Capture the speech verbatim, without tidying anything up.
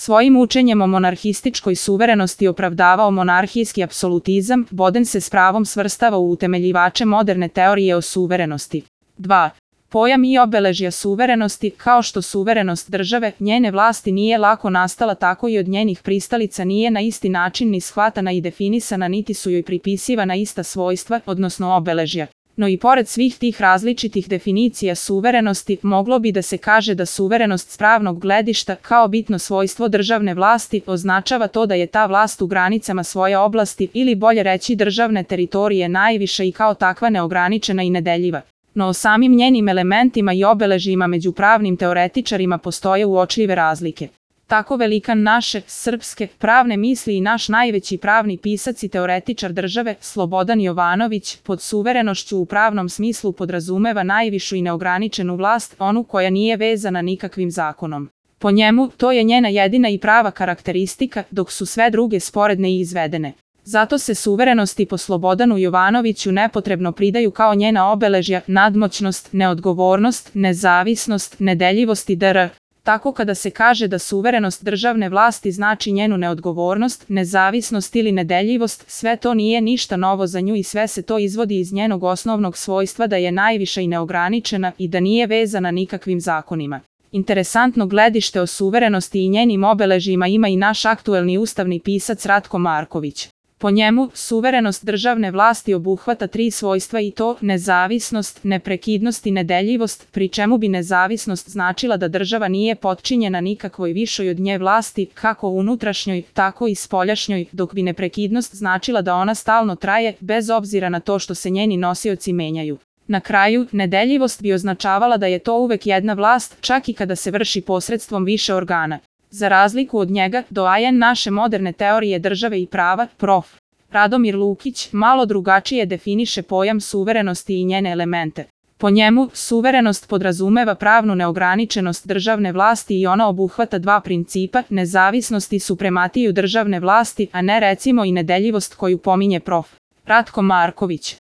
Svojim učenjem o monarhističkoj suverenosti opravdavao monarhijski apsolutizam, Boden se s pravom svrstava u utemeljivače moderne teorije o suverenosti. dva. Pojam i obeležja suverenosti, kao što suverenost države, njene vlasti nije lako nastala, tako i od njenih pristalica nije na isti način ni shvatana i definisana, niti su joj pripisivana ista svojstva, odnosno obeležja. No i pored svih tih različitih definicija suverenosti, moglo bi da se kaže da suverenost s pravnog gledišta, kao bitno svojstvo državne vlasti, označava to da je ta vlast u granicama svoje oblasti, ili bolje reći državne teritorije, najviša i kao takva neograničena i nedeljiva. No o samim njenim elementima i obeležjima među pravnim teoretičarima postoje uočljive razlike. Tako velikan naše, srpske, pravne misli i naš najveći pravni pisac i teoretičar države, Slobodan Jovanović, pod suverenošću u pravnom smislu podrazumeva najvišu i neograničenu vlast, onu koja nije vezana nikakvim zakonom. Po njemu, to je njena jedina i prava karakteristika, dok su sve druge sporedne i izvedene. Zato se suverenosti po Slobodanu Jovanoviću nepotrebno pridaju kao njena obeležja nadmoćnost, neodgovornost, nezavisnost, nedeljivost itd. Tako kada se kaže da suverenost državne vlasti znači njenu neodgovornost, nezavisnost ili nedeljivost, sve to nije ništa novo za nju i sve se to izvodi iz njenog osnovnog svojstva da je najviša i neograničena i da nije vezana nikakvim zakonima. Interesantno gledište o suverenosti i njenim obeležjima ima i naš aktuelni ustavni pisac Ratko Marković. Po njemu, suverenost državne vlasti obuhvata tri svojstva i to nezavisnost, neprekidnost i nedeljivost, pri čemu bi nezavisnost značila da država nije potčinjena nikakvoj višoj od nje vlasti, kako unutrašnjoj, tako i spoljašnjoj, dok bi neprekidnost značila da ona stalno traje, bez obzira na to što se njeni nosioci menjaju. Na kraju, nedeljivost bi označavala da je to uvek jedna vlast, čak i kada se vrši posredstvom više organa. Za razliku od njega, doajen naše moderne teorije države i prava, prof. Radomir Lukić, malo drugačije definiše pojam suverenosti i njene elemente. Po njemu, suverenost podrazumeva pravnu neograničenost državne vlasti i ona obuhvata dva principa, nezavisnost i suprematiju državne vlasti, a ne recimo i nedeljivost koju pominje prof. Ratko Marković.